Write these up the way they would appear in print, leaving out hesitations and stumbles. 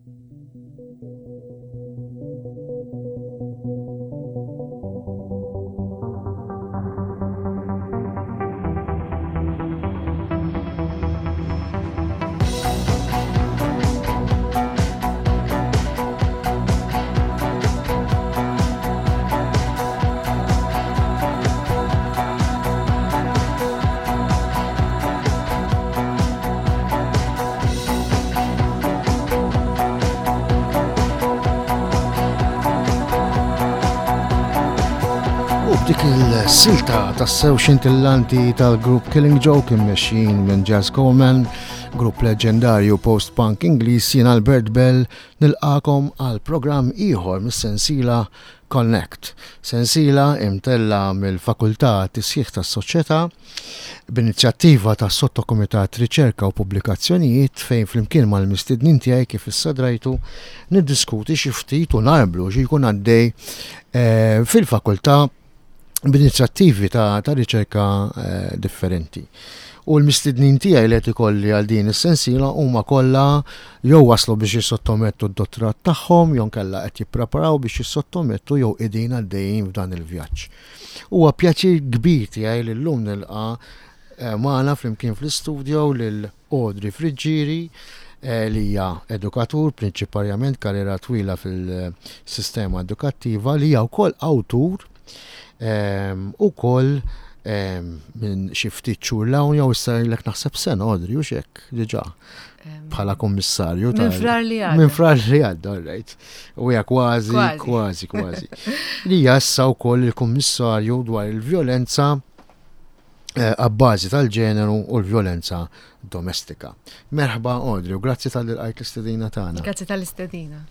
U b'dik il-silta tassew xintillanti tal-grupp Killing Joke immexxin minn Jazz Coleman, grupp leġendarju post-punk Ingliż jien Albert Bell nilqakom għal programm ieħor mis-sensiela Connect, sensiela imtellgħa mill-Fakultà għat-Tisħiħ tas-Soċjetà b'inizjattiva tas-Sottokumitat Riċerka u Pubblikazzjonijiet fejn flimkien mal-mistednin tiegħi kif issa drajtu niddiskuti xi ftit u narblu xi jkun għaddej eh, fil-fakultà b'inizjattivi ta', ta riċerka eh, differenti. U l-mistednin tiegħi li qed ikolli għal din is-sensiela huma kollha jew waslu biex jissottomettu d-dottorat tagħhom jew nkella qed jippreparaw biex jissottomettu jew qegħdin għaddejjin f'dan il-vjaġġ. Huwa pjaċir kbir tiegħi li llum nilqa' eh, magħna flimkien fl-istudio lil Audrey Friggieri eh, li hija edukatur prinċiparjament karriera twila fil-sistema edukattiva li hija wkoll awtur ehm, ukoll ehm, minn xi ftit xhur l-hawn jew issa ilek naħseb sena Audrey u xek diġà bħala kummissarju Minn frar li għadda. Minn frar li għadda, all right. U hija kważi, kważi, kważi. Li hija issa wkoll il-kummissarju dwar il-vjolenza eh, għabbażi tal-ġeneru u l-vjolenza domestika. Merħba Audrey, u grazzi tal-li lqajt l-istedina tagħna. Grazzi tal-istedina.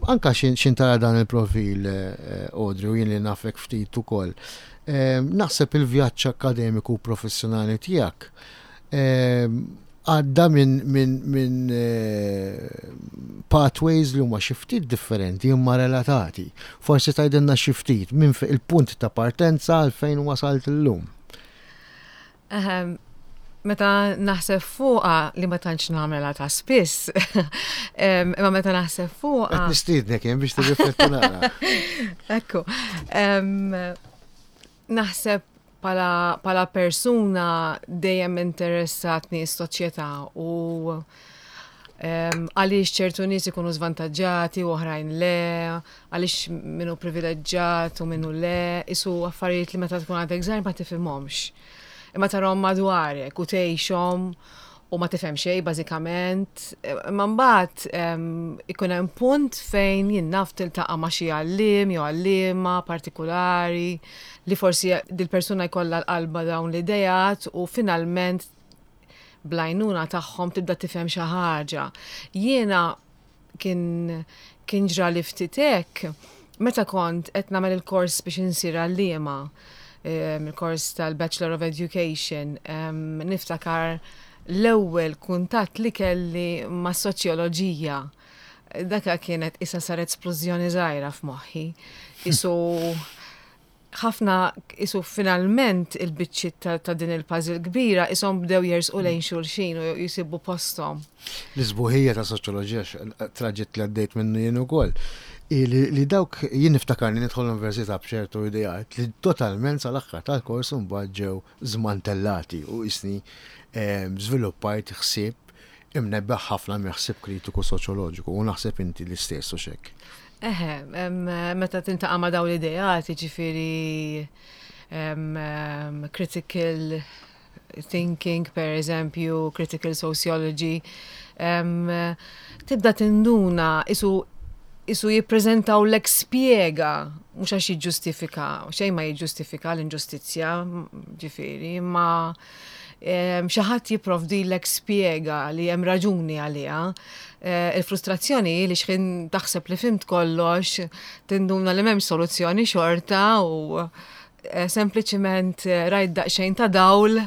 Anka xin tara dan il-profil, eh, Audrey, u jien li nafek ftit ukoll. Naħseb il-vjaġġ akademiku u professjonali tiegħek għadda minn min, min, eh, pathways li huma xi ftit differenti imma relatati. Forsi tgħidilna xi ftit minn il-punt ta' partenza għal fejn wasalt illum. Ehm, meta naħseb fuqa li ma tantx nagħmela ta' spiss, ehm, imma meta naħseb fuqa. Qed nistiednek jien biex tirrifletti naqra. Ekku. Ehm, naħseb pala, pala persuna dejjem interessatni s-soċjetà u għaliex ċertu nies ikunu żvantaġġati u oħrajn le, għaliex minnu privileġġat u minnu le, isu affarijiet li meta tkun għadek żgħir ma tifhimhomx. Imma tarahom madwarek u tgħixhom u ma tifhem xejn bażikament. Imma mbagħad ikun hemm punt fejn jien naf tiltaqa' ma' xi għalliem jew għalliema partikulari li forsi dil-persuna jkollha l-qalba dawn l-ideat u finalment bl-għajnuna tagħhom tibda tifhem xi ħaġa. Jiena kien kien ġrali ftit hekk meta kont qed nagħmel il-kors biex insir għalliema, il-kors tal-Bachelor of Education, niftakar l-ewwel kuntatt li kelli mas-soċjoloġija. Daka kienet isa saret splużjoni żgħira f'moħħi. Isu ħafna isu finalment il-biċċiet ta' din il-puzzle kbira ishom bdew jersqu lejn xulxin u jsibu posthom. L-isbuħija ta' soċjoloġija traġitt li għaddejt minnu jien ukoll, hi li dawk jien niftakarni nidħol l-università b'ċertu ideat li totalment sal-aħħar tal-kors imbagħad ġew żmantellati u qisni żviluppajt ħsieb imnebbeħ ħafna minn ħsieb kritiku soċjoloġiku u naħseb inti l-istess hux hekk? Eħe, meta tintaqa' ma' dawn l-ideat, jiġifieri critical thinking, per eżempju, critical sociology, tibda tinduna isu isu jippreżentaw lek spjega, mhux għax jiġġustifika, xejn ma jiġġustifika l-inġustizzja, ġifieri, ma xi ħadd jipprovdilek spjega li hemm raġuni għaliha. Eh, il-frustrazzjoni hi li xħin taħseb li fimt kollox, tinduna li m'hemmx soluzzjoni xorta u eh, sempliċiment eh, rajt daqsxejn ta' dawl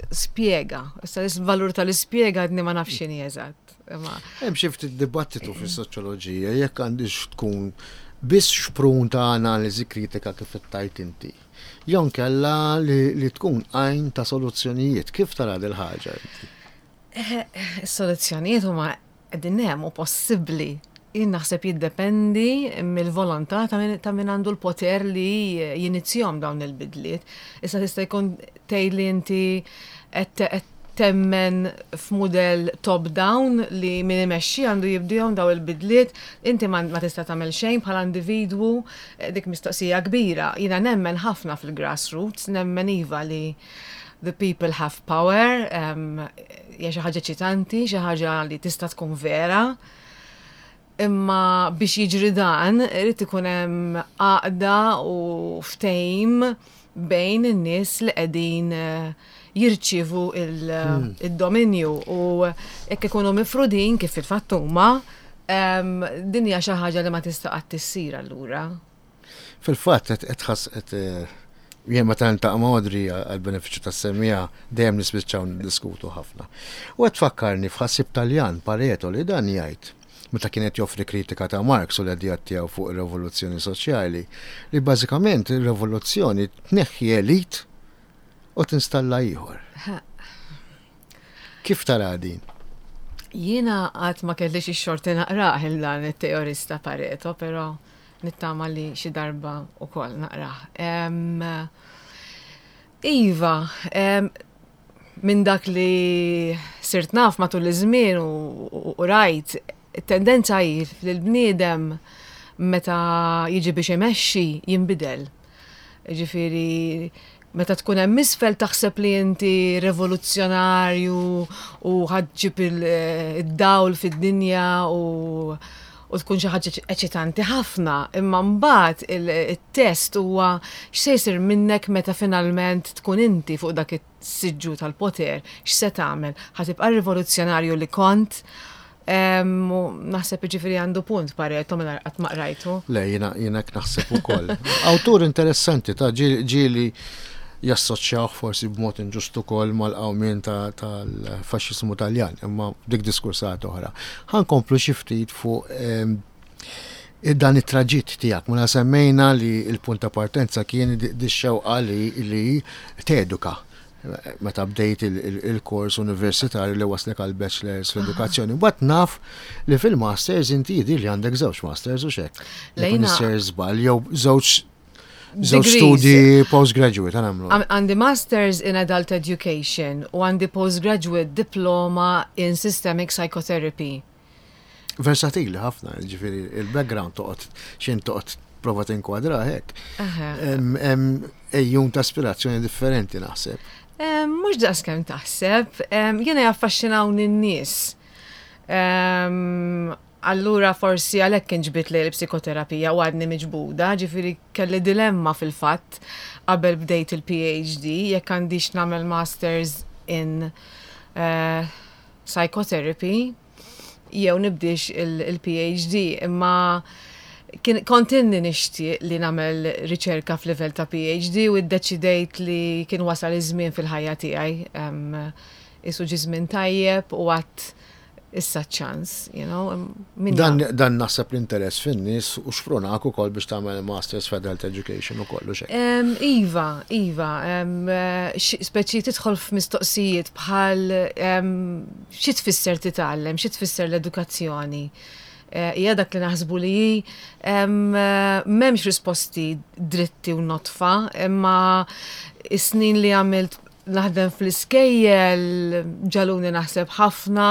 spjega. Issa il-valur tal-ispjega għadni ma nafx x'inhi eżatt. Hemm xi ftit dibattitu fis-soċjoloġija jekk għandix tkun biss xprun ta' analiżi kritika kif qed inti. Jew inkella li tkun għajn ta' soluzzjonijiet. Kif tara dil-ħaġa inti? Is-soluzzjonijiet huma Qegħdin hemm u possibbli. Jien naħseb jiddependi mill-volontà ta' min għandu l-poter li jinizzjahom dawn il-bidliet. Issa tista' jkun tgħid li inti qed temmen f'mudell top-down li min imexxi għandu jibdihom daw il-bidliet, inti ma tista' tagħmel xejn bħala individwu, dik mistoqsija kbira. Jiena nemmen ħafna fil-grassroots, nemmen iva li the people have power, hija xi ħaġa eċitanti, xi ħaġa li tista' tkun vera. Imma biex jiġri dan, irid ikun hemm għaqda u ftehim bejn in-nies li qegħdin jirċievu il-dominju u jekk ikunu mifrudin kif fil-fatt huma, din hija xi ħaġa li ma tista' qatt issir allura. Fil-fatt qed tħass qed jien meta niltaqa' ma' Audrey għall-benefiċċju tas-semmiegħa dejjem nispiċċaw niddiskutu ħafna. U qed tfakkarni f'ħassieb Taljan, Pareto, li dan jgħid, meta kien qed joffri kritika ta' Marx u l-ideat tiegħu fuq ir-revoluzzjoni soċjali, li bażikament ir-revoluzzjoni tneħħi elit u tinstalla ieħor. Kif taraha din? Jiena qatt ma kellix ix-xorti naqrah il dan it-teorista Pareto, però Nittama li xi darba wkoll naqrah. Iva, minn dak li sirt naf matul iż-żmien u rajt, it-tendenza hi li l-bniedem meta jiġi biex imexxi jinbidel. Ġifieri meta tkun hemm isfel taħseb li inti revoluzzjonarju u ħa ġġib id-dawl fid-dinja u u tkun xi ħaġa eċitanti ħafna, imma mbagħad it-test huwa x'se jsir minnek meta finalment tkun inti fuq dak is-siġġu tal-poter, x'se tagħmel? Ħa tibqa' rivoluzzjonarju li kont? Naħseb jiġifieri għandu punt Pareto mingħajr qatt ma qrajtu. Le, jiena jiena hekk naħseb ukoll. Awtur interessanti ta' ġieli jassoċjawh forsi b'mod inġust ukoll mal-qawmien tal-faxxiżmu Taljan, imma dik diskursata oħra. Ħa nkomplu xi ftit fuq dan it-traġitt tiegħek. Mela semmejna li l-punt ta' partenza kien dix-xewqa li teduka meta bdejt il-kors universitarju li waslek għal bachelors fl-edukazzjoni. Mbagħad naf li fil-masters inti jidhir li għandek żewġ masters u xek. Lejna żball jew żewġ żewġ studi postgraduate għamlu. Għandi masters in adult education u għandi postgraduate diploma in systemic psychotherapy. Versatili ħafna, ġifieri il-background toqgħod x'in toqgħod prova tinkwadra hekk. Ejjun ta' aspirazzjoni differenti naħseb. Mhux daqs kemm taħseb, jiena jaffaxxinawni n-nies. Allura forsi għalhekk inġbidt lejn il-psikoterapija u għadni miġbuda, ġifieri kelli dilemma fil-fatt qabel bdejt il-PhD jekk għandix nagħmel masters in eh, psychotherapy jew nibdiex il-PhD imma kien kont inni nixtieq li nagħmel riċerka f'livell ta' PhD u ddeċidejt li kien wasal iż-żmien fil-ħajja tiegħi. Isu ġie żmien tajjeb u għadt issa ċ-ċans, you know. Dan, dan naħseb l-interess fin-nies u xprunak ukoll biex tagħmel Masters f'Adult Education ukoll u xejn. Iva, iva, speċi tidħol f'mistoqsijiet bħal Xi tfisser titgħallem? Xi tfisser l-edukazzjoni? Hija dak li naħsbu li hi? M'hemmx risposti dritti u nodfa, imma s-snin li għamilt naħdem fl-iskejjel ġagħluni naħseb ħafna.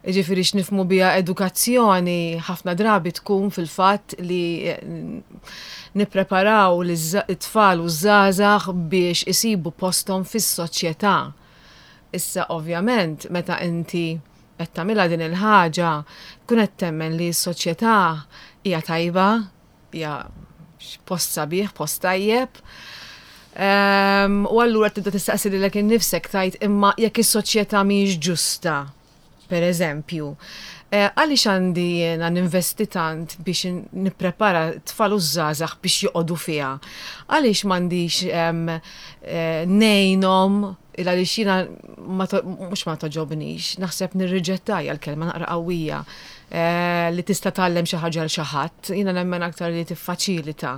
Jiġifieri x'nifhmu biha edukazzjoni ħafna drabi tkun fil-fatt li nippreparaw lit-tfal u ż-żgħażagħ biex isibu posthom fis-soċjetà. Issa ovvjament meta inti qed tagħmilha din il-ħaġa tkun qed temmen li s-soċjetà hija tajba, hija post sabiħ, post tajjeb. Ehm, u allura tibda tistaqsi lilek innifsek tgħid imma jekk is-soċjetà mhijiex ġusta, Per eżempju, għaliex għandi jiena ninvesti tant biex nipprepara t-tfal u ż-żgħażagħ biex joqogħdu fiha? Għaliex m'għandix ngħinhom il għaliex jiena mhux ma togħġobnix, naħseb nirriġetta hija l-kelma naqra qawwija li tista' tgħallem xi ħaġa 'l xi ħadd, jiena nemmen aktar li tiffaċilita,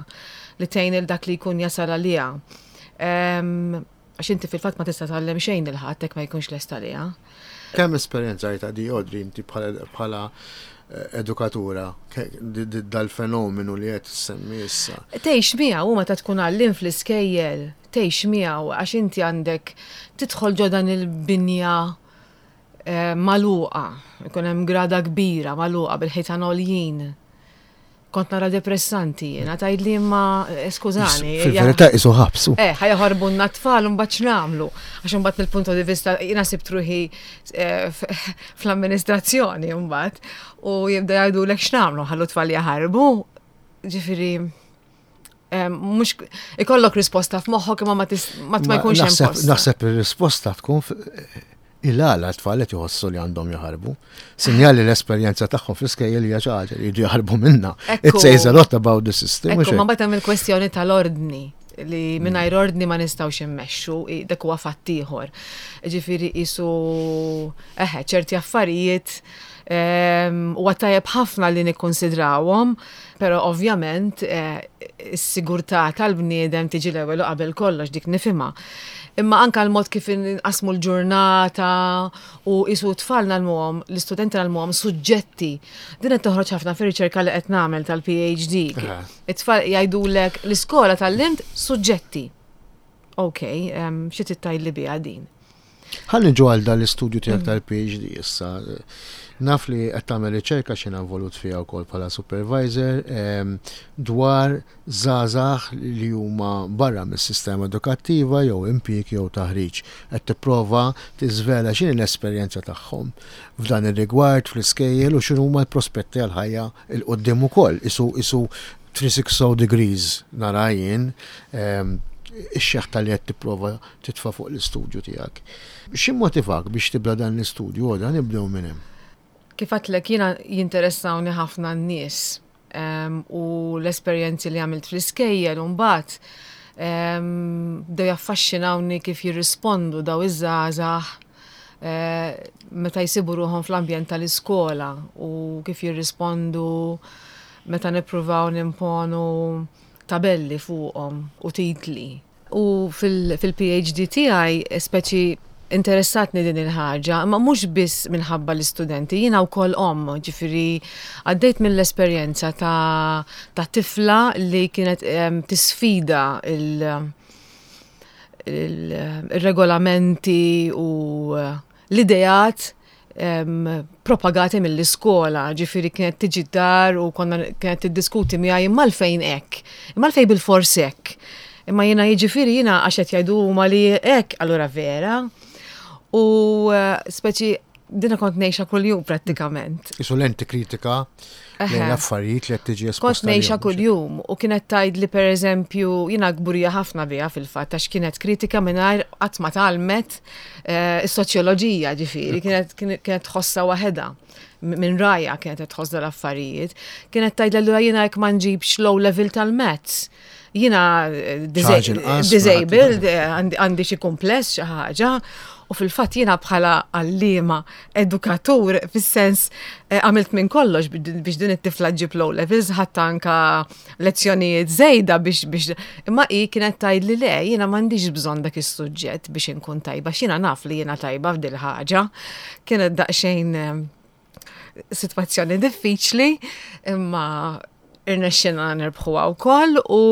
li tgħin 'il dak li jkun jasal għaliha. Għax inti fil-fatt ma tista' tgħallem xejn lil ħadd jekk ma jkunx lest għaliha. Kemm esperjenzajtha di Audrey inti bħala edukatura dal-fenomenu li qed issemmi issa? Tgħix miegħu u meta tkun għalliem fl-iskejjel, tgħix miegħu għax inti għandek tidħol ġo dan il-binja eh, magħluqa, ikun hemm grada kbira magħluqa bil-ħitan għoljin. Kont nara depressanti jiena, tgħidli imma eh, skużani. Fil-verità isu ħabsu. Eh, ħa jaħarbunna t-tfal u mbagħad x'nagħmlu? Għax imbagħad mill-punto di vista jiena sibt ruħi eh, fl-amministrazzjoni mbagħad u jibda jgħidulek x'nagħmlu ħallu t-tfal jaħarbu. Ġifieri eh, mhux ikollok risposta f'moħħok imma ma jkunx hemm. Naħseb ir-risposta tkun Il-għala t-tfal qed iħossu li għandhom jaħarbu. Sinjal li l-esperjenza tagħhom fl-iskejjel hija xi ħaġa li jridu jaħarbu minnha. It says a lot about the system. Ekku, ma mbagħad hemm il-kwestjoni tal-ordni li mm. mingħajr ordni ma nistgħux immexxu, dak huwa fatt ieħor. Ġifieri qisu eħe ċerti affarijiet ehm, huwa tajjeb ħafna li nikkonsidrawhom, però ovvjament eh, is-sigurtà tal-bniedem tiġi l-ewwel u qabel kollox dik nifhimha. Imma anka l-mod kif inqasmu l-ġurnata u qisu t-tfal ngħallmuhom, l-istudenti ngħallmuhom suġġetti. Din qed toħroġ ħafna fir-riċerka li qed nagħmel tal-PhD. It-tfal jgħidulek l-iskola tgħallimt suġġetti. Ok, xi trid tgħidli biha din? Ħa niġu għal dan l-istudju tiegħek tal-PhD issa. Naf li qed tagħmel riċerka x'jiena involut fiha wkoll bħala supervisor dwar żgħażagħ li huma barra mis-sistema edukattiva jew impjieg jew taħriġ. Qed tipprova tiżvela x'inhi l-esperjenza tagħhom f'dan ir-rigward fl-iskejjel u x'inhuma l-prospetti għall-ħajja 'l quddiem ukoll. Isu isu 360 degrees nara jien ix-xeħta li qed tipprova titfa' fuq l-istudju tiegħek. X'immotivak biex tibda dan l-istudju, Għoda? Nibdew minn hemm. Kif għedtlek jiena jinteressawni ħafna n-nies u l-esperjenzi li għamilt fl-iskejjel u mbagħad bdew jaffaxxinawni kif jirrispondu daw iż-żgħażagħ eh, meta jsibu ruħhom fl-ambjent tal-iskola u kif jirrispondu meta nippruvaw nimponu tabelli fuqhom u titli. U fil-PhD tiegħi speċi interessatni din il-ħaġa, imma mhux biss minħabba l-istudenti, jiena wkoll omm, ġifieri għaddejt mill-esperjenza ta', ta tifla li kienet tisfida il-regolamenti u l-ideat propagati mill-iskola, ġifieri kienet tiġi d-dar u konna kienet tiddiskuti miegħi imma għalfejn hekk, imma għalfejn bilfors hekk. Imma jiena jiġifieri jiena għax qed jgħidu huma li hekk, allura vera. U eh, speċi dina kont ngħixha kuljum prattikament. Isu lenti kritika lejn l-affarijiet li qed tiġi esposta. Kont ngħixha kuljum u kienet tgħidli pereżempju jiena kburija ħafna biha fil-fatt għax kienet kritika mingħajr qatt ma tgħallmet eh, is-soċjoloġija ġifieri kienet kienet tħossha waħedha minn rajha kienet qed tħoss dal-affarijiet. Kienet tgħidli allura jiena jekk ma nġibx low level tal-maths Jina eh, disabled, eh, għandi xi kumpless xi ħaġa, u fil-fatt jiena bħala għallima, edukatur, fis-sens eh, għamilt minn kollox biex din it-tifla ġib low levels, ħadd anka lezzjonijiet żejda biex biex imma hi kienet tgħid li le, jiena m'għandix bżonn dak is-suġġett biex inkun tajba, x'jiena naf li jiena tajba f'dil ħaġa. Kienet daqsxejn sitwazzjoni diffiċli, imma irnexxina nirbħuha wkoll u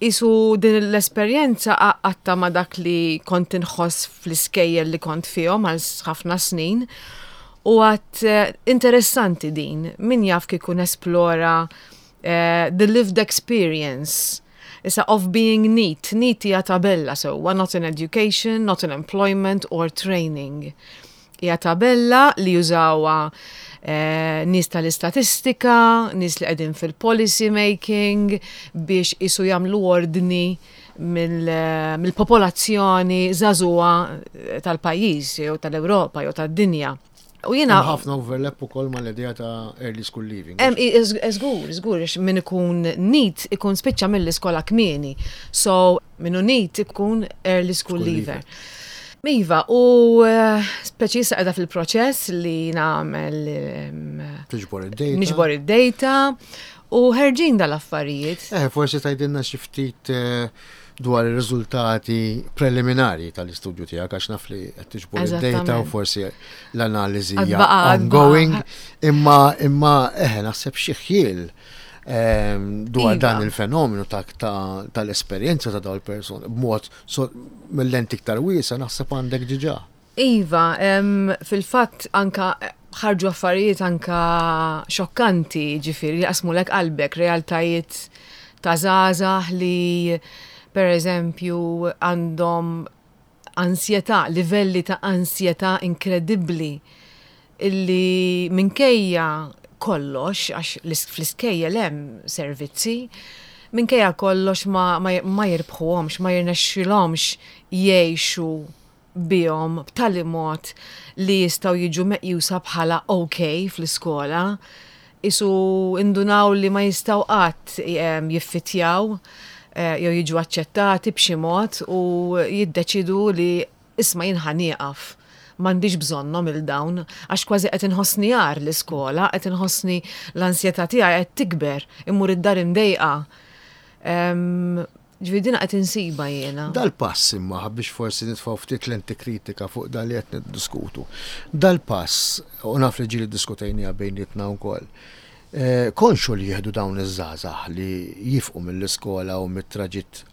isu din l-esperjenza għatta ma dak li kont inħoss fl-iskejjel li kont fihom għal ħafna snin. U għat eh, interessanti din, min jaf kieku nesplora eh, the lived experience Issa of being neat, neat hija tabella sewwa, not in education, not in employment or training. Hija tabella li jużawha eh, nies tal-istatistika, nies li qegħdin fil-policy making biex isu jagħmlu ordni eh, mill-popolazzjoni żagħżugħa eh, tal-pajjiż jew tal-Ewropa jew tad-dinja. U jiena ħafna overlap ukoll mal-idea ta' early school leaving. Hemm żgur, żgur min ikun NEET ikun spiċċa mill-iskola kmieni. So Min hu NEET ikun early school leaver. Iva, u eh, speċi issa qiegħda fil-proċess li nagħmel Tiġbor id-data. Niġbor id-data. U ħerġin dal-affarijiet. Eh, forsi tgħidilna xi ftit eh, dwar ir-riżultati preliminari tal-istudju tiegħek għax naf li qed tiġbor id-data u forsi l-analiżi hija ongoing, imma imma eħe naħseb xi ħjiel ehm, dwar iva. dan il-fenomenu tal-esperjenza ta' dawn il-persuni b'mod mill-lenti iktar wiesa naħseb għandek diġà. Iva, fil-fatt anka ħarġu affarijiet anka xokkanti, ġifieri li qasmulek qalbek, realtajiet ta' żgħażagħ li per eżempju għandhom ansjetà, livelli ta' ansjetà inkredibbli illi minkejja kollox, għax fl-iskejjel hemm servizzi, minkejja kollox ma, ma, ma jirbħuhomx, ma jirnexxilhomx jgħixu bihom b'tali mod li jistgħu jiġu meqjusa bħala ok fl-iskola. Qisu indunaw li ma jistgħu qatt jiffitjaw jew jiġu aċċettati b'xi mod u jiddeċiedu li isma' jien ħa nieqaf. M'għandix bżonnhom 'il dawn għax kważi qed inħossni agħar l-iskola, qed inħossni l-ansjetà tiegħi qed tikber, immur id-dar imdejqa. Ġifieri dina qed insibha jiena. Dal-pass imma biex forsi nitfgħu ftit lenti kritika fuq dan li qed niddiskutu. Dal-pass, u naf li ġieli ddiskutejniha bejnietna wkoll, eh, konxu li jieħdu dawn iż-żgħażagħ li jifqu mill-iskola u mit-traġitt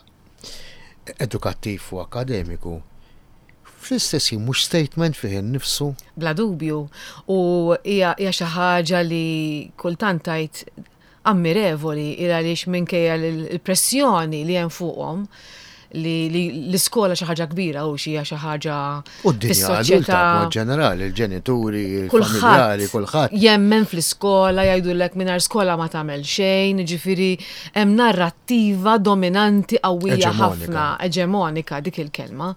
edukattiv u akademiku, fl-istess ħin mhux statement fih innifsu? Bla dubju. U hija xi ħaġa li kultant tgħid ammirevoli il għaliex minkejja l-pressjoni li hemm fuqhom li l-iskola xi ħaġa kbira u xi xi ħaġa U d-dinja adulta b'mod ġenerali, il-ġenituri, il-familjari, kulħadd. Jemmen fl-iskola, jgħidulek mingħajr skola ma tagħmel xejn, jiġifieri hemm narrattiva dominanti qawwija ħafna, eġemonika dik il-kelma.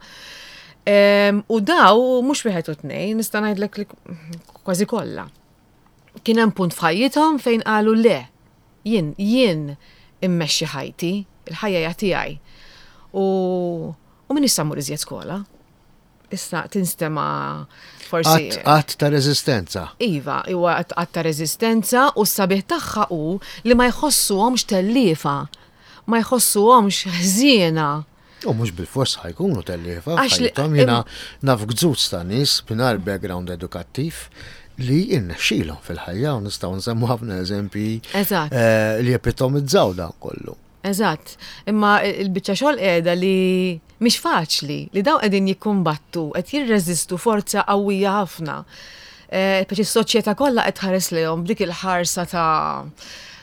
U daw mhux wieħed u tnejn, nista' ngħidlek li kważi kollha. Kien hemm punt f'ħajjithom fejn qalu le, jien, jien immexxi ħajti, il-ħajja hija tiegħi. U, u m'iniex sa mmur iżjed skola. Issa tinstema' forsi. Att ta' reżistenza. Iva, huwa att ta' reżistenza u s-sabiħ tagħha hu li ma jħossuhomx telliefa, ma jħossuhomx ħżiena. U mhux bilfors ħa jkunu telliefa f'ħajjithom. Jiena naf gzuz ta' nies mingħajr background edukattiv li jirnexxilhom fil-ħajja u nistgħu nsemmu ħafna eżempji eh, li epitomizzaw dan kollu. Eżatt, imma il-biċċa xogħol qiegħda li mhix faċli, li dawn qegħdin jikkumbattu, qed jirreżistu forza qawwija ħafna. Eh, Peċi s-soċjetà kollha qed tħares lejhom b'dik il-ħarsa ta'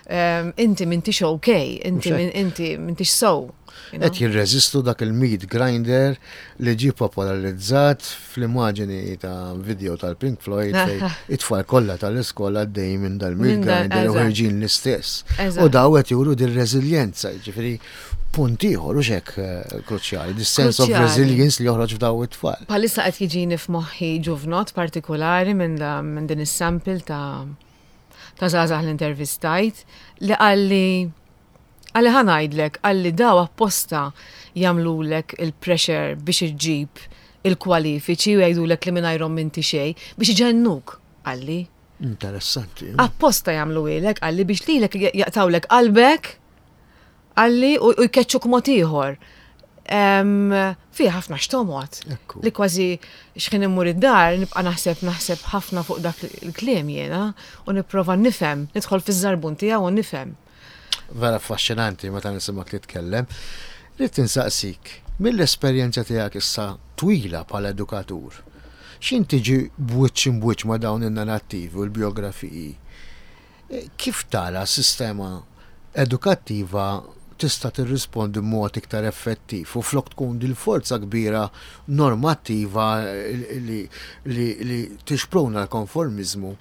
eh, inti m'intix ok, inti inti m'intix sow. Qed jirreżistu dak il-meat grinder li ġie popolarizzat fl-immaġini ta' video tal-Pink Floyd fejn it-tfal kollha tal-iskola għaddejjin minn dal-meat grinder u ħerġin l-istess. U daw qed juru dir-reżiljenza, jiġifieri punt ieħor u xek eh, kruċjali, this sense of resilience li joħroġ f'daw it-tfal. Palissa qed jiġini f'moħħi ġuvnot partikolari minn din is-sample ta' ta' żgħażagħ li intervistajt li qalli Qalli ħa ngħidlek, qalli daw apposta jagħmlulek il-pressure biex iġġib il-kwalifiċi u jgħidulek li mingħajrhom m'inti xejn, biex iġennuk, qalli. Interessanti. Apposta jagħmluhielek, qalli biex lilek jaqtgħulek qalbek, qalli u jkeċċuk mod ieħor. Fiha ħafna x'tomgħod. Li kważi x'ħin immur id-dar nibqa' naħseb naħseb ħafna fuq dak il-kliem jiena u nipprova nifhem, nidħol fiż-żarbun tiegħu u nifhem. Vera affaxxinanti meta nisimgħek titkellem. Ridt insaqsik, mill-esperjenza tiegħek issa twila bħala edukatur, x'int tiġi b'wiċċ imb'wiċċ ma' dawn in-narrattivi u l-bijografiji, kif tara s-sistema edukattiva tista' tirrispondi b'mod iktar effettiv u flok tkun dil-forza kbira normattiva li, li, li tixpruna l-konformiżmu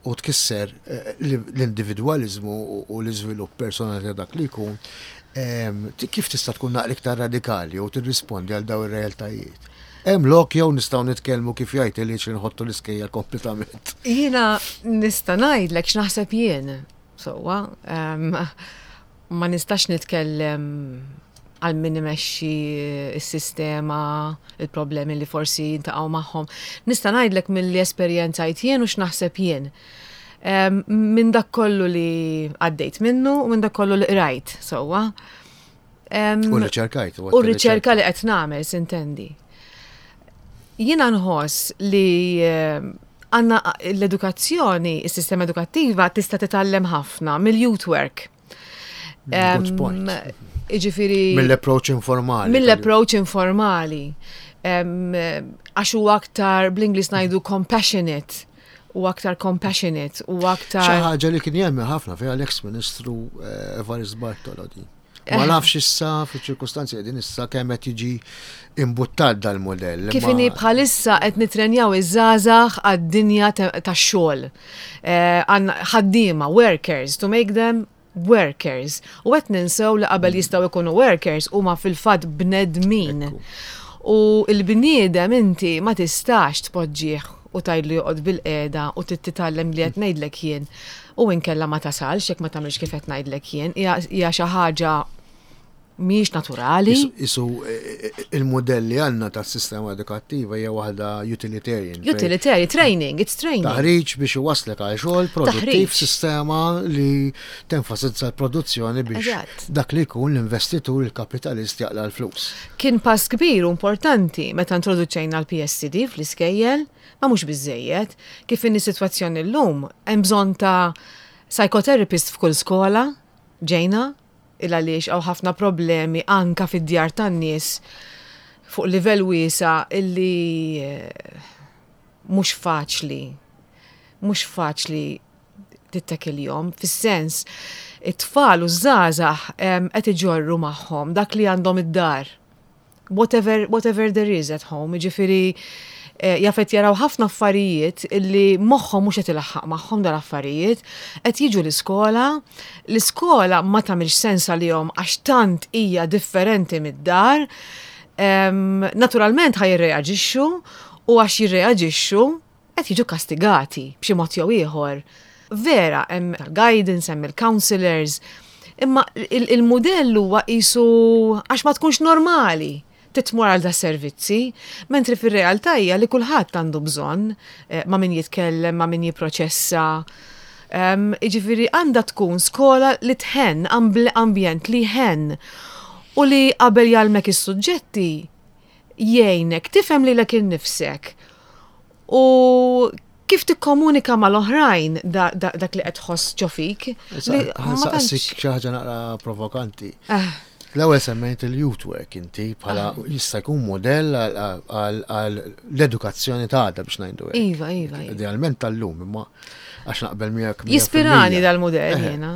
u tkisser eh, l-individwaliżmu u l-iżvilupp personali ta' dak li jkun, ehm, kif tista' tkun naqra iktar radikali u tirrispondi għal daw ir-realtajiet? Hemm lok jew nistgħu nitkellmu kif jgħid li nħottu l-iskejjel kompletament. Jiena nista' ngħidlek x'naħseb jien. Sewwa, ehm, ma nistax nitkellem għal min imexxi s-sistema, il-problemi li forsi jintaqgħu magħhom. Nista' ngħidlek milli esperjenzajt jien u x'naħseb jien. Minn dak kollu li għaddejt minnu u minn dak kollu li qrajt sewwa. U riċerkajt. U riċerka li qed nagħmel sintendi. Jiena nħoss li għandna l-edukazzjoni, is-sistema edukattiva tista' titgħallem ħafna mill-youth work. Good point. Iġifiri. Mill-approach informali. Mill-approach informali. Għax huwa aktar bl-Ingliż ngħidu compassionate u aktar compassionate u aktar. Xi ħaġa li kien jemmen ħafna fiha l-eks Ministru eh, Evarist Bartolo di. Ma eh. nafx issa fiċ-ċirkustanzi qegħdin issa kemm qed jiġi imbuttat dal-modell. Kif inhi bħalissa qed nitrenjaw iż-żgħażagħ għad-dinja tax-xogħol. Eh, ħaddiema, workers, to make them workers. U qed ninsew li qabel jistgħu jkunu workers huma fil-fatt bnedmin. U l-bniedem inti ma tistax tpoġġih u tgħidlu joqgħod bilqiegħda u trid titgħallem li qed ngħidlek jien u inkella ma tasalx jekk ma tagħmilx kif qed ngħidlek jien. Hija xi ħaġa mhijiex naturali. Isu e, e, e, il-modell li għandna tas-sistema edukattiva hija waħda utilitarian. Utilitarian, training, it's training. Taħriġ biex iwaslek għal xogħol produttiv sistema li tenfasizza l-produzzjoni biex dak li jkun l-investitur il-kapitalist jaqla l-flus. Kien pass kbir u importanti meta introduċejna l-PSCD fl-iskejjel, ma mhux biżejjed. Kif inhi sitwazzjoni llum, hemm bżonn ta' psychotherapist f'kull skola, ġejna, il għaliex hawn ħafna problemi anka fid-djar tan-nies fuq livell wiesa' illi mhux faċli, mhux faċli tittekiljhom, fis-sens it-tfal u ż-żgħażagħ qed iġorru magħhom dak li għandhom id-dar. Whatever, whatever there is at home, jiġifieri eh, jaf qed jaraw ħafna affarijiet illi moħħhom mhux qed ilaħħaq magħhom dal-affarijiet, qed jiġu l-iskola, l-iskola ma tagħmilx sens għalihom għax tant hija differenti mid-dar, naturalment ħa jirreaġixxu u għax jirreaġixxu qed jiġu kastigati b'xi mod jew ieħor. Vera hemm tal-guidance, hemm il-counselors, imma il-mudell huwa qisu għax ma tkunx normali titmur għal da servizzi, mentri fir-realtà hija li kulħadd għandu bżonn eh, ma' min jitkellem, ma' min jipproċessa. Jiġifieri għandha tkun skola li tħenn, ambjent li jħenn u li qabel jgħallmek is-suġġetti jgħinek tifhem lilek innifsek u kif tikkomunika mal-oħrajn dak li qed tħoss ġo fik. Ħansaqsik xi ħaġa naqra provokanti. Eh. L-ewwel semmejt il-youth work inti bħala ah. jista' jkun modell għal l-edukazzjoni ta' għada biex ngħidu. Iva, iva, iva. Idealment tal-lum, imma għax naqbel miegħek. Jispirani dal-modell eh. jiena.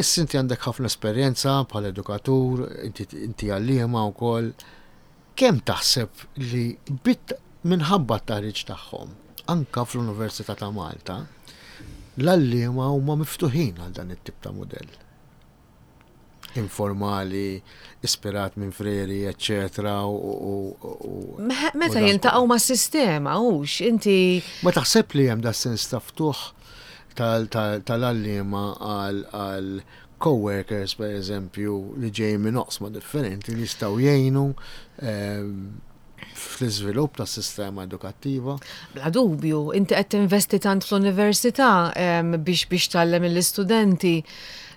Issa inti għandek ħafna esperjenza bħala edukatur, inti għalliema wkoll. Kemm taħseb li bit minħabba t-taħriġ tagħhom, anka fl-Università ta' Malta, l-għalliema huma miftuħin għal dan it-tip ta' mudell? Informali, ispirat minn Freire, eċċetera, u. Meta jiltaqgħu mas-sistema, hux, inti. Ma taħseb li hemm da sens ta' ftuħ tal-għalliema għal co-workers, per eżempju, li ġejjin minn oqsma differenti li jistgħu jgħinu ehm, fl-iżvilupp tas-sistema edukattiva? Bla dubju, inti qed tinvesti tant fl-università ehm, biex biex tgħallem lill-istudenti.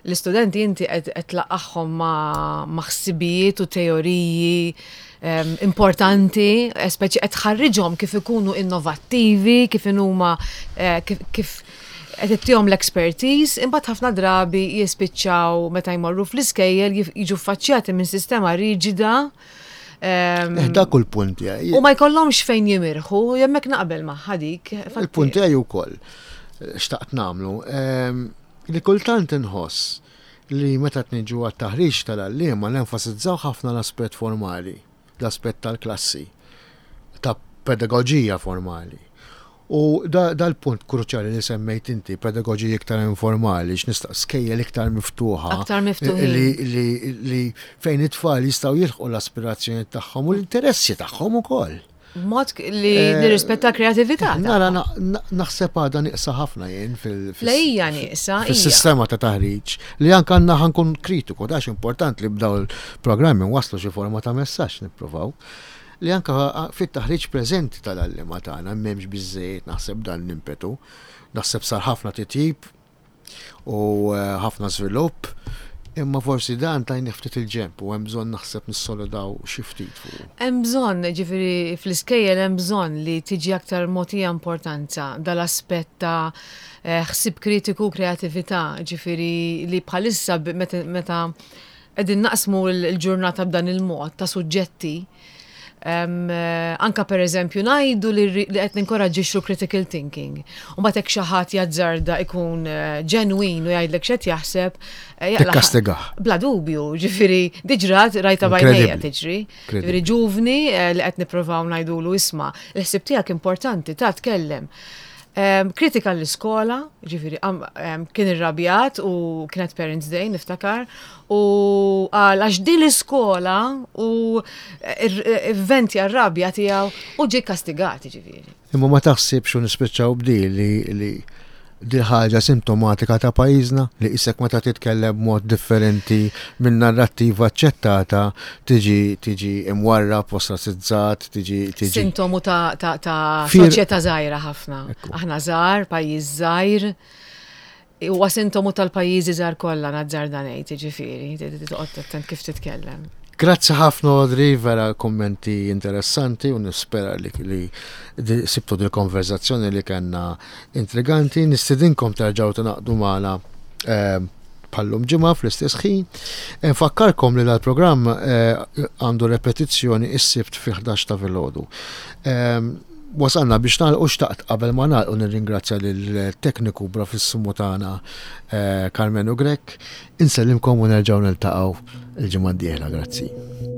L-istudenti inti qed tlaqqagħhom ma' ħsibijiet u teoriji importanti, eh, speċi qed tħarriġhom kif ikunu innovattivi, kif inhuma eh, kif qed ittihom l-expertise, imbagħad ħafna drabi jispiċċaw meta jmorru fl-iskejjel jiġu ffaċċjati minn sistema riġida. Eh, dak kull punt tiegħi. U ma jkollhomx fejn jimirħu, jemmek naqbel magħha dik. Il-punt tiegħi wkoll xtaqt nagħmlu li kultant inħoss li meta qed niġu għat-taħriġ tal-għalliema nenfasizzaw ħafna l-aspett formali, l-aspett tal-klassi, ta' pedagoġija formali. U dal-punt kruċjali li semmejt inti, pedagoġija iktar informali, x'nista' skejjel iktar miftuħa. Aktar miftuħa. Li, li fejn it-tfal jistgħu jilħqu l-aspirazzjoni tagħhom u l-interessi tagħhom ukoll. Mod li eh, nirrispetta kreatività. Nara naħseb għadha nieqsa ħafna jien fil- Lejja nieqsa. Fis-sistema ta' taħriġ li anke għandna ħankun kritiku, dax importanti li b'daw il-programmi waslu xi forma ta' messaġġ nippruvaw. li anke fit-taħriġ preżenti tal-għalliema tagħna m'hemmx biżżejjed naħseb dan l-impetu. Naħseb sar ħafna titjib u ħafna żvilupp, imma forsi dan tajnih ftit il-ġenb u hemm bżonn naħseb nissolidaw xi ftit fuqu. Hemm bżonn, ġifieri fl-iskejjel hemm bżonn li tiġi aktar mogħtija importanza dal-aspett ta' ħsieb kritiku u kreatività, ġifieri li bħalissa meta qegħdin naqsmu l-ġurnata b'dan il-mod ta' suġġetti, Anka per eżempju ngħidu li qed ninkoraġġixxu critical thinking. U mbagħad hekk xi ħadd jazzarda ikun eh, ġenwin u jgħidlek x'qed jaħseb. Eh, Tikkastigah. Bla dubju, ġifieri diġrat rajta bajnejja tiġri. Ġifieri ġuvni eh, li qed nippruvaw ngħidulu isma' l-ħsieb tiegħek importanti ta' tkellem. Kritika l-iskola, ġifiri, kien irrabjat u kienet Parents Day, niftakar, u għal għax din l-iskola u vventja r-rabja tiegħu u ġie kastigat, ġifiri. Imma ma taħsibx u nispiċċaw b'di li li di ħaġa sintomatika ta' pajjiżna li isek meta titkellem b'mod differenti minn narrattiva aċċettata tiġi tiġi imwarrab, ostracizzat, tiġi tiġi. Sintomu ta' ta' ta' soċjetà żgħira ħafna. Aħna żgħar, pajjiż żgħir. Huwa sintomu tal-pajjiżi żgħar kollha nazzarda ngħid, jiġifieri, toqgħod attent kif titkellem. Grazzi ħafna Audrey, vera kummenti interessanti u nispera li, li sibtu dil-konverzazzjoni li kellna intriganti. Nistidinkom terġgħu tingħaqdu magħna eh, bħallum ġimgħa fl-istess ħin. Nfakkarkom li dal-programm eh, għandu repetizzjoni is-sibt fi 11 ta' filgħodu. Ehm, wasalna biex nagħlqu xtaqt qabel ma nagħlqu nirringrazzja lill-tekniku bravissimu tagħna eh, Carmenu Grech. Insellimkom u nerġgħu niltaqgħu il-ġimgħa d-dieħla. Grazzi.